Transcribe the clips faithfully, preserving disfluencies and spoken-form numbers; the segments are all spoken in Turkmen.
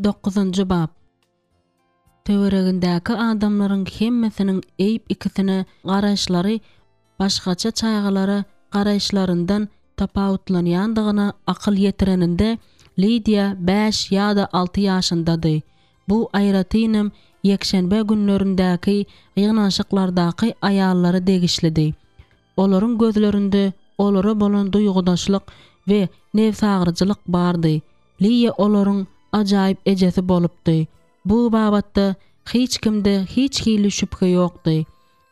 Dokuzynjy bap. Töweregindäki adamlaryň hemmesiniň Eýb ikisine garaýyşlary başgaça çagalara garaýyşlaryndan tapawutlanýandygyna akyl ýetireninde Lidiýa bäş ýa-da alty ýaşyndady. Bu aýratynam ýekşenbe günlerindäki ýygnanyşyklardaky aýallara degişlidi. Olaryň gözlerinde olara bolan duýgudaşlyk we nebsagyryjylyk bardy. Liýa olaryň ajaýyp ejesi bolupdy. Bu babatda hiç kimde hiç hili şübhe ýokdy.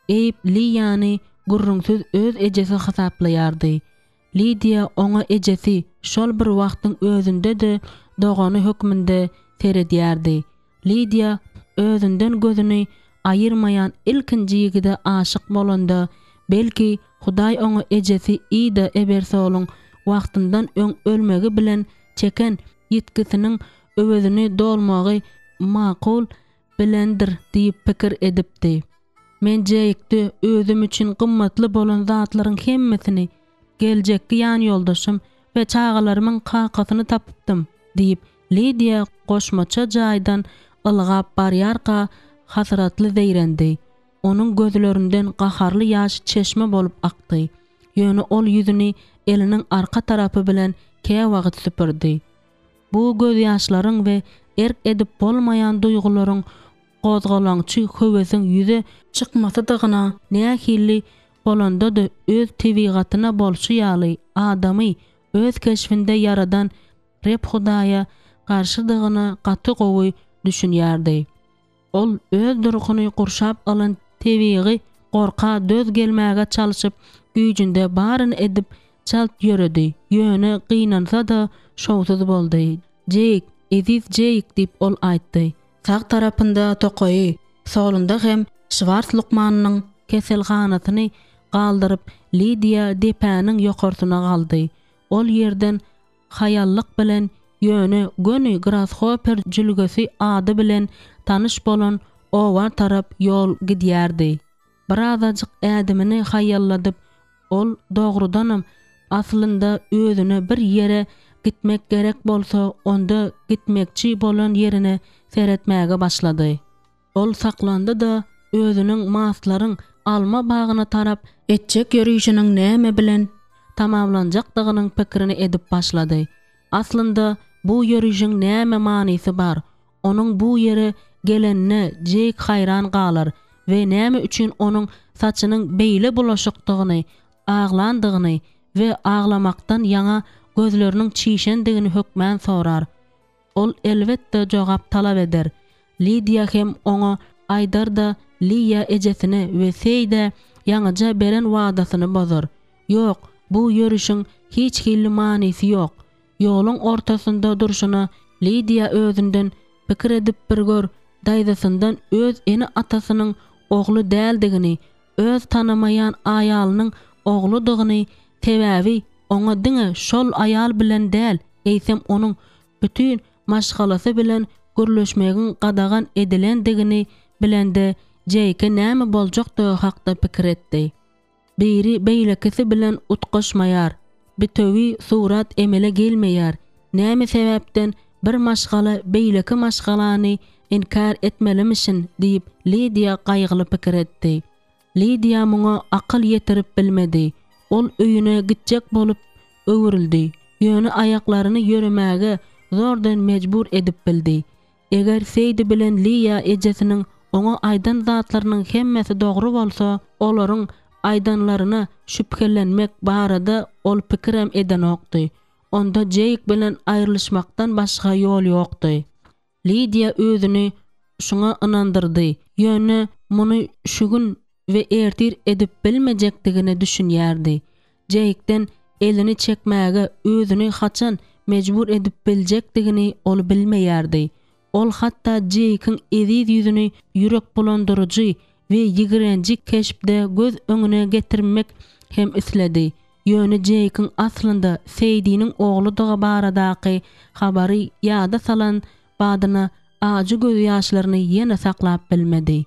Eýb Liýany gürrüňsiz öz ejesi hasaplaýardy. Lidiýa oňa ejesi, şol bir wagtyň özünde-de dogany hökmünde seredýärdi. Lidiýa özünden gözüni aýyrmaýan ilkinji ýigide aşyk bolanda, belki, Hudaý oňa ejesi Ida Ebersolyň wagtyndan öň ölmegi bilen çeken ýitgisiniň öwezini dolmagy makul bilendir diýip pikir edipdi. Men Jeýkde özüm üçin gymmatly bolan zatlaryň hemmesini, geljekki ýanýoldaşym we çagalarymyň kakasyny tapypdym, diýip, Lidiýa goşmaça jaýdan ylgap barýarka hasratly zeýrendi. Onuň gözlerinden gaharly ýaş çeşme bolup akdy. Ýöne ol ýüzüni eliniň arka tarapy bilen käwagt süpürdi. Bu gözýaşlaryň we erk edip bolmaýan duýgularyň gozgalaňçy höwesiň ýüze çykmasydygyna nähili bolanda-da öz tebigatyna bolşy ýaly adamy öz keşbinde ýaradan Reb Hudaýa garşydygyna gaty gowy düşünýärdi. Ol öz durkuny gurşap alan tebigy gorka döz gelmäge çalşyp, güýjünde baryny edip, çalt ýöredi, ýöne gynansa-da, şowsuz boldy. Jeýk, eziz Jeýk, diýip, ol aýtdy. Sag tarapynda tokaýy, solunda hem Şwars lukmanynyň keselhanasyny galdyryp, Lidiýa depäniň ýokarsyna galdy. Ol ýerden haýallyk bilen, ýöne göni Grashoper jülgesi ady bilen tanyş bolan oba tarap ýol gidýärdi. Birazajyk ädimini haýalladyp, ol dogrudanam, aslynda özüne bir ýere gitmek gerek bolsa, onda gitmekçi bolan ýerine seretmäge başlady. Ol saklandy-da, özüniň Maslaryň alma bagyna tarap etjek ýörişiniň näme bilen tamamlanjakdygynyň pikirini edip başlady. Aslynda, bu ýörişiň näme manysy bar? Onuň bu ýere gelenine Jeýk haýran galar we näme üçin onuň saçynyň beýle bulaşykdygyny, aglandygyny we aglamakdan ýaňa gözleriniň çişendigini hökmän sorar. Ol elbetde jogap talap eder. Lidiýa hem oňa aýdar-da Liýa ejesine we Seýdä ýaňyja beren wadasyny bozar. Ýok, bu ýörişiň hiç hili manysy ýok. Ýoluň ortasynda durşuna Lidiýa özünden pikir edip bir gör, daýzasyndan öz ene-atasynyň ogly däldigini, öz tanamaýan aýalynyň ogludygyny, sebäbi oňa diňe şol aýal bilen däl, eýsem onuň bütin maşgalasy bilen gürleşmegiň gadagan edilendigini bilende Jeýke näme boljakdygy hakda pikir etdi. Biri beýlekisi bilen utgaşmaýar, bitewi surat emele gelmeýär, näme sebäpden bir maşgala beýleki maşgalany inkär etmelimişin diýip Lidiýa gaýgyly pikir etdi. Lidiýa muňa akyl ýetirip bilmedi. Ol öýüne gitjek bolup öwrüldi, ýöne aýaklaryny ýöremäge zordan mejbur edip bildi. Eger Seýdi bilen Liýa ejesiniň oňa aýdan zatlarynyň hemmesi dogry bolsa, olaryň aýdanlaryna şübhelenmek barada ol pikirem edenokdy. Onda Jeýk bilen aýrylyşmakdan başga ýol ýokdy. Lidiýa özüni şuňa ynandyrdy, ýöne muny şu gün we ertir edip bilmejekdigine düşünýärdi. Jeýkden elini çekmäge özüni haçan mejbur edip biljekdigini ol bilmeýärdi. Ol hatda Jeýkiň eziz ýüzüni ýürekbulandyryjy we ýigrenji keşpde göz öňüne getirmek hem isledi. Ýöne Jeýkiň aslynda Seýdiniň ogludygy baradaky habary ýada salan badyna ajy gözýaşlaryny ýene saklap bilmedi.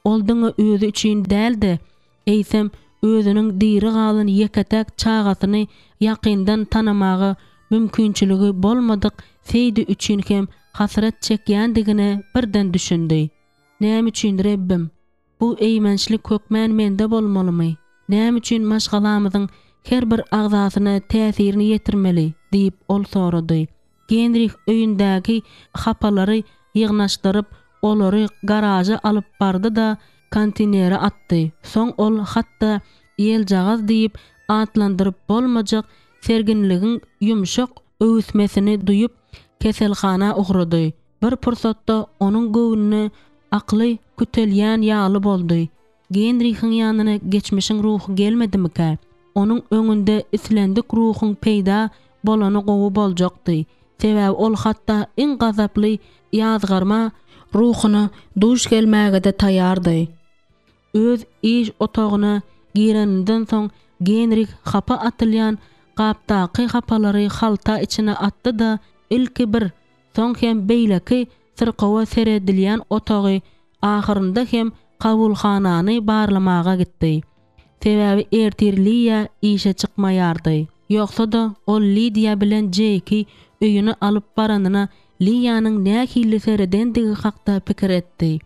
Ol diňe özi üçin däl-de, eýsem, özüniň diri galan ýeke-täk çagasyny ýakyndan tanamaga mümkinçiligi bolmadyk Seýdi üçin hem hasrat çekýändigine birden düşündi. Näme üçin, Rebbim, bu eýmençlik hökmän mende bolmalymy? Näme üçin maşgalamyzyň her bir agzasyna täsirini ýetirmeli? diýip, ol sorady. Genrih öýündäki hapalary ýygnaşdyryp, olary garaža alyp bardy-da, konteýnere atdy. Soň ol hatda ýeljagaz diýip atlandyryp bolmajak serginligiň ýumşak öwüsmesini duýup, keselhana ugrady. Bir pursatda onuň göwnüne akyly kütelýän ýaly boldy. Genrihiň ýanyna geçmişiň ruhy gelmedimikä? Onuň öňünde islendik ruhuň peýda bolany gowy boljakdy. Sebäbi ol hatda iň gazaply ýazgarma ruhuna duş gelmäge-de taýýardy. Öz iş otagyna gireninden soň Genrih hapa atylýan gapdaky hapalary halta içine atdy-da, ilki bir, soň hem beýleki syrkawa seredilýän otagy, ahyrynda hem kabulhanany barlamaga gitdi. Sebäbi ertir Liýa işe çykmaýardy. Ýogsa-da, ol Lidiýa bilen Jeýki öýüne alyp baranyna Liýanyň nähili seredendigi hakda pikir etdi.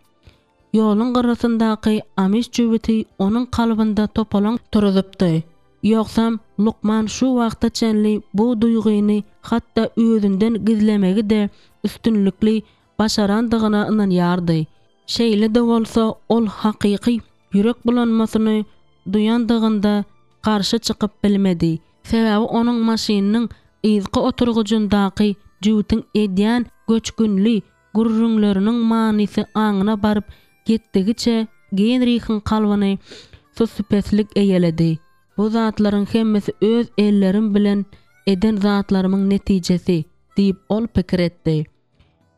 Ýoluň gyrasyndaky amiş jübüti onuň kalbynda topalaň turuzupdy. Ýogsam, lukman şu wagta çenli bu duýgyny hatda özünden gizlemegi-de üstünlikli başarandygyna ynanýardy. Şeýle-de bolsa, ol hakyky ýürek bulanmasyny duýandygynda garşy çykyp bilmedi. Sebäbi onuň maşynynyň yzky oturgyjyndaky jübütiň edýän göçgünli gürrüňleriniň manysy aňyna baryp ýetdigiçe Genrihiň kalbyny sussupeslik eýeledi. Bu zatlaryň hemmesi öz ellerim bilen eden zatlarymyň netijesi, diýip ol pikir etdi.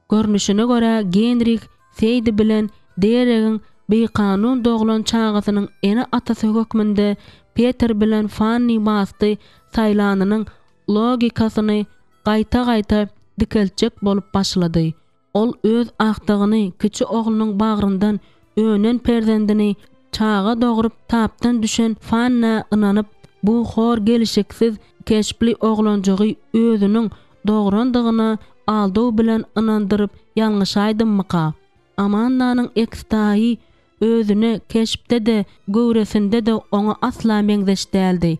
Görnüşine görä, Genrih Seýdi bilen Deregiň bikanun doglan çagasynyň ene-atasy hökmünde Peter bilen Fanni Masty saýlanynyň logikasyny gaýta-gaýta dikeltjek bolup başlady. Ol öz agtygyny, kiçi oglunyň bagryndan önen perzendini çaga dogrup tapdan düşen Fannä ynanyp, bu hor gelşiksiz keşpli oglanjygy özüniň dograndygyna aldaw bilen ynandyryp ýalňyşaýdymmyka? Amandanyň ekstaýy özüne keşpde-de, göwresinde-de oňa asla meňzeş däldi.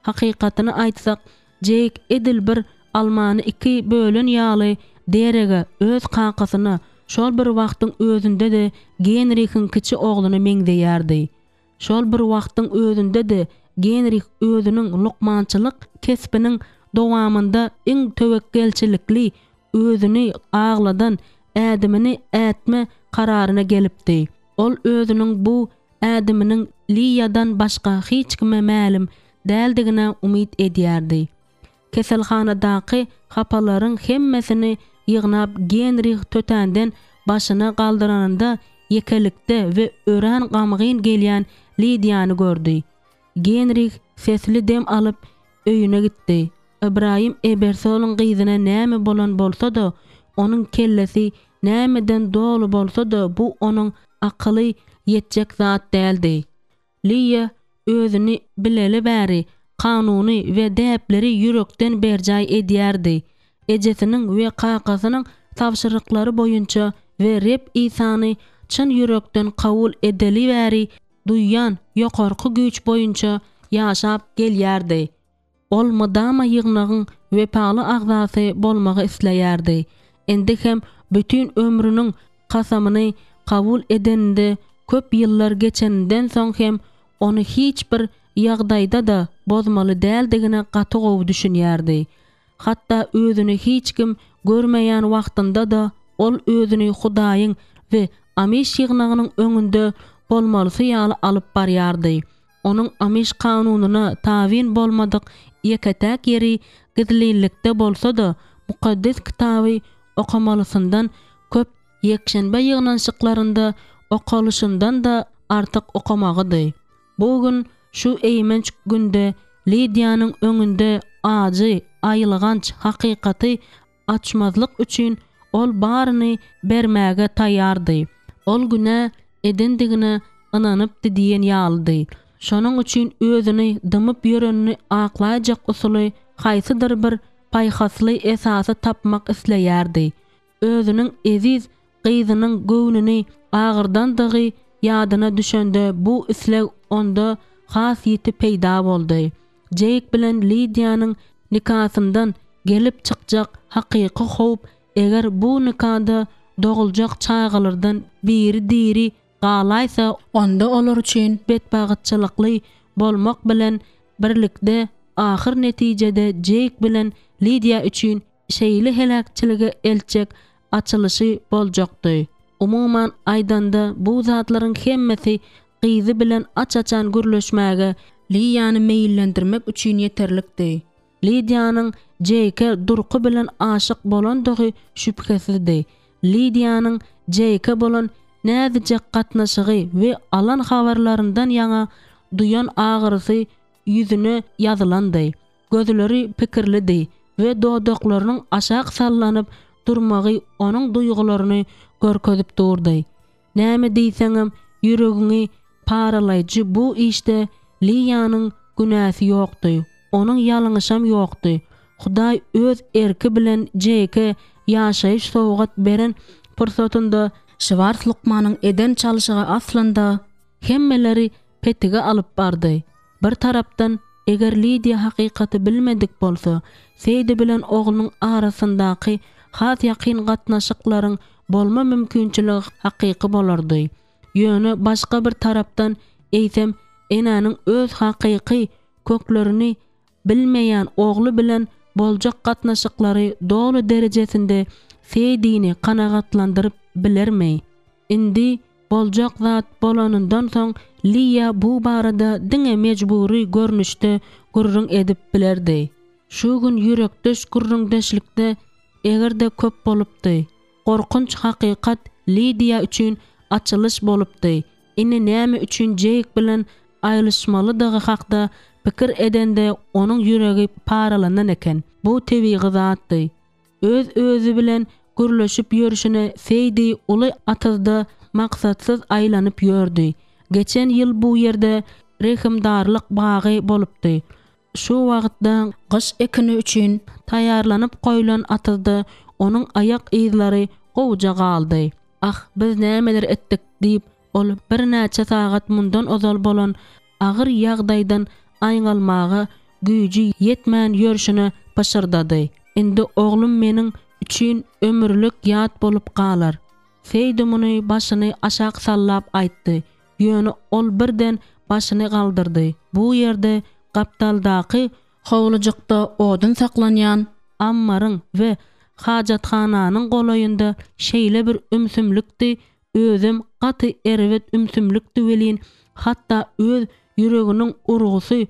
Hakykatyny aýtsak, Jeýk edil bir almany iki bölen ýaly Derege, öz kakasyna, şol bir wagtyň özünde-de Genrihiň kiçi ogluna meňzeýärdi. Şol bir wagtyň özünde-de Genrih özüniň lukmançylyk kesbiniň dowamynda iň töwekgelçilikli, özüni agladan ädimini ätme kararyna gelipdi. Ol özüniň bu ädiminiň Liýadan başga hiç kime mälim däldigine umyt edýärdi. Keselhanadaky hapalaryň hemmesini ýygnap Genrih tötänden başyny galdyranynda ýekelikde we örän gamgyn gelýän Lidiýany gördi. Genrih sesli dem alyp öýüne gitdi. Ybraýym Ebersolyň gyzyna näme bolan bolsa-da, onuň kellesi nämeden doly bolsa-da bu onuň akyly ýetjek zat däldi. Liýa özüni bileli bäri kanuny we däpleri ýürekden berjaý edýärdi. Ejesiniň we kakasynyň tabşyryklary boýunça we Reb Isany çyn ýürekden kabul edeli bäri duýýan ýokarky güýç boýunça ýaşap gelýärdi. Ol mydama ýygnagyň wepaly agzasy bolmagy isleýärdi. Indi hem bütin ömrüniň kasamyny kabul edeninde köp ýyllar geçeninden soň hem ony hiç bir ýagdaýda-da bozmaly däldigine gaty gowy düşünýärdi. Hatda özüni hiç kim görmeýän wagtynda-da ol özüni Hudaýyň we Amiş ýygnagynyň öňünde bolmalysy ýaly alyp barýardy. Onuň Amiş kanunyna tabyn bolmadyk ýeke-täk ýeri gizlinlikde bolsa-da, Mukaddes Kitaby okamalysyndan köp ýekşenbe ýygnanyşyklarynda okalyşyndan-da artyk okamagydy. Bu gün, şu eýmenç günde Lidiýanyň öňünde ajy, aýylganç hakykaty açmazlyk üçin ol baryny bermäge taýýardy. Ol günä edendigine ynanypdy diýen ýalydy. Şonuň üçin özüni dymyp ýörenini aklaýjak usuly haýsydyr bir paýhasly esasy tapmak isleýärdi. Özüniň eziz gyzynyň göwnüni agyrdandygy ýadyna düşende bu isleg onda has ýiti peýda boldy. Jeýk bilen Lidiýanyň nikasyndan gelip çykjak hakyky howp eger bu nikada doguljak çagalardan biri diri galaýsa Onda olar üçin betbagtçylykly bolmak bilen birlikde ahyr netijede Jeýk bilen Lidiýa üçin şeýle heläkçilige eltjek açylyşy boljakdy. Umuman aýdanda bu zatlaryň hemmesi gyzy bilen aç-açan gürleşmäge Liýany meýillendirmek üçin ýeterlikdi. Lidiýanyň Jeýke durky bilen aşyk bolandygy şübhesizdi. Lidiýanyň Jeýke bolan näzijek gatnaşygy we alan habarlaryndan ýaňa duýan agyrysy ýüzüne ýazylandy. Gözleri pikirlidi we dodaklarynyň aşak sallanyp durmagy onuň duýgularyny görkezip durdy. Näme diýseňem ýüregiňi paralaýjy bu işde Liýanyň günäsi ýokdy. Onuň ýalňyşam ýokdy. Hudaý öz erki bilen Jeýke ýaşaýyş sowgat beren pursatynda Şwars lukmanyň eden çalşygy aslynda hemmeleri petige alyp bardy. Bir tarapdan eger Lidiýa hakykaty bilmedik bolsa, Seýdi bilen oglunyň arasyndaky has ýakyn gatnaşyklaryň bolma mümkinçiligi hakyky bolardy. Ýöne başga bir tarapdan eýsem enäniň öz hakyky köklerini bilmeýän ogly bilen boljak gatnaşyklary doly derejesinde Seýdini kanagatlandyryp bilermi? Indi boljak zat bolanyndan soň Liýa bu barada diňe mejbury görnüşde gürrüň edip bilerdi. Şu gün ýürekdeş gürrüňdeşlikde eger-de köp bolupdy. Gorkunç hakykat Lidiýa üçin açylyş bolupdy. Indi näme üçin Jeýk bilen aýrylyşmalydygy hakda pikir edende onuň ýüregi paralanan eken. Bu tebigy zatdy. Öz özi bilen gürleşip ýörüşine Seýdi uly atyzda maksatsyz aýlanyp ýördi. Geçen ýyl bu ýerde rehimdarlyk bagy bolupdy. Şu wagtda gyş ekini üçin taýýarlanyp goýlan atyzda onuň aýak yzlary gowja galdy. Ah, biz nämeler etdik diýip, ol birnäçe sagat mundan ozal bolan agyr ýagdaýdan aýňalmaga güýji ýetmän ýörşüne pyşyrdady. Indi oglum meniň üçin ömürlik ýat bolup galar. Seýdi muny başyny aşak sallap aýtdy. Ýöne ol birden başyny galdyrdy. Bu ýerde gapdaldaky howlujykda odun saklanýan ammaryň we hajathananyň golaýynda şeýle bir ümsümlikdi, özem gaty erbet ümsümlikdi welin, hatda öz ýüreginiň urgusy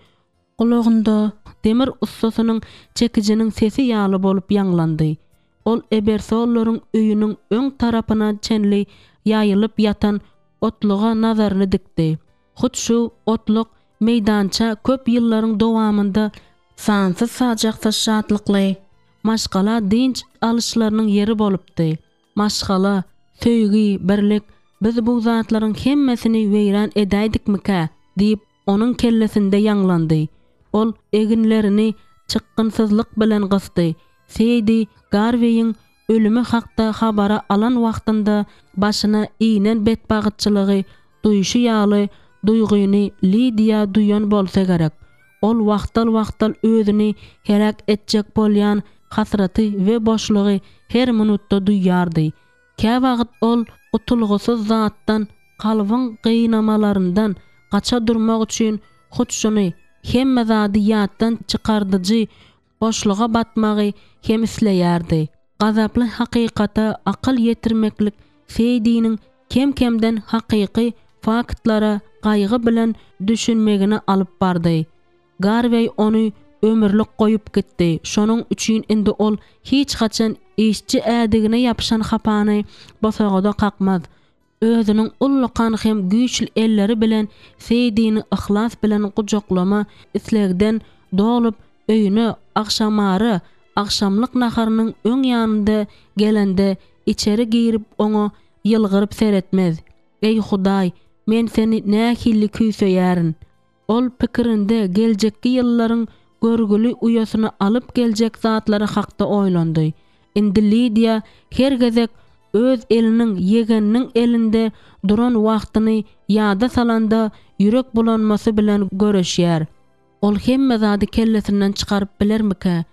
gulagynda demir ussasynyň çekijiniň sesi ýaly bolup ýaňlandy. Ol Ebersollaryň öýüniň öň tarapyna çenli ýaýylyp ýatan otluga nazaryny dikdi. Hut şu otluk meýdança köp ýyllaryň dowamynda sansyz sajaksyz şatlykly maşgala dynç alyşlarynyň ýeri bolupdy. Maşgala, söýgi, birlik biz bu zatlaryň hemmesini weýran edäýdikmikä diýip onuň kellesinde ýaňlandy. Ol eginlerini çykgynsyzlyk bilen gysdy. Seýdi Garweýiň ölümi hakda habara alan wagtynda başyna inen betbagtçylygy duýşy ýaly duýgyny Lidiýa duýan bolsa gerek. Ol wagtal-wagtal özüni heläk etjek bolýan hasraty we boşlugy her minutda duýardy. Käwagt ol gutulgysyz zatdan, kalbyň gynamalaryndan gaça durmak üçin hut şuny hemme zady ýatdan çykardyjy boşluga batmagy hem isleýärdi. Gazaply hakykata akyl ýetirmeklik Seýdiniň kem-kemden hakyky faktlara gaýgy bilen düşünmegini alyp bardy. Garweý ony ömürlik goýup gitdi. Şonuň üçin indi ol hiç haçan işçi ädigine ýapyşan hapany bosagada kakmaz. Özüniň ullakan hem güýçli elleri bilen Seýdini yhlas bilen gujaklama islegden dolup öýüne agşamara agşamlyk naharynyň öň ýanynda gelende içeri girip oňa ýylgyryp seretmez. Ey Hudaý, men seni nähili küýseýärin. Ol pikirinde geljekki ýyllaryň görgüli uýasyny alyp geljek zatlary hakda oýlandy. Indi Lidiýa her gezek öz eliniň ýegeniniň elinde duran wagtyny ýada salanda ýürek bulanmasy bilen göreşýär. Ol hemme zady kellesinden çykaryp bilermikä?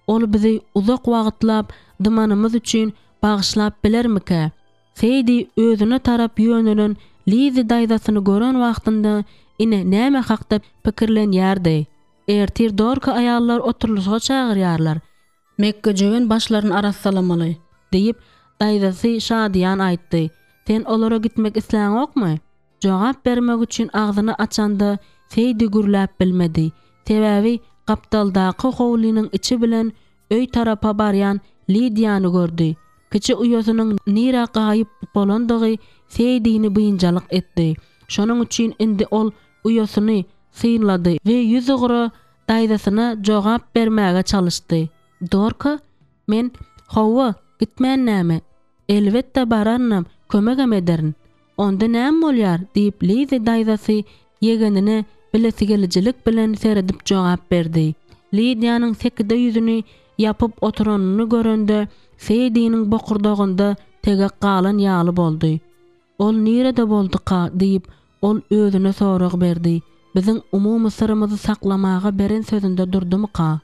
Ol bizi uzak wagtlap dymanymyz üçin bagyşlap bilermikä? Seýdi özüne tarap ýönelen Lizi daýzasyny gören wagtynda ine näme hakda pikirlenýärdi. Ertir Dorka aýallar oturylyşyga çagyrýarlar. Mekgejöwen başlaryny arassalamaly. Diýip, daýzasy şadyýan aýtdy. Sen olara gitmek isläňokmy? Jogap bermek üçin agzyny açanda Seýdi gürläp bilmedi. Sebäbi gapdaldaky howlynyň içi bilen öý tarapa barýan Lidiýany gördi. Kiçi uýasynyň nirä gaýyp bolandygy Seýdini biynjalyk etdi. Şonuň üçin indi ol uýasyny synlady we ýüzugra daýzasyna jogap bermäge çalyşdy. Dorka, men hawa, gitmän näme? Elbetde bararynam, kömegem ederin. Onda näme bolýar diýip Lizi daýzasy ýegenine bilesigelijilik bilen seredip jogap berdi. Lidiýanyň sekide ýüzüni ýapyp oturanyny görende Seýdiniň bokurdagynda tegek galan ýaly boldy. Ol nirede bolduka diýip ol özüne sorag berdi. Biziň umumy syrymyzy saklamaga beren sözünde durdumyka?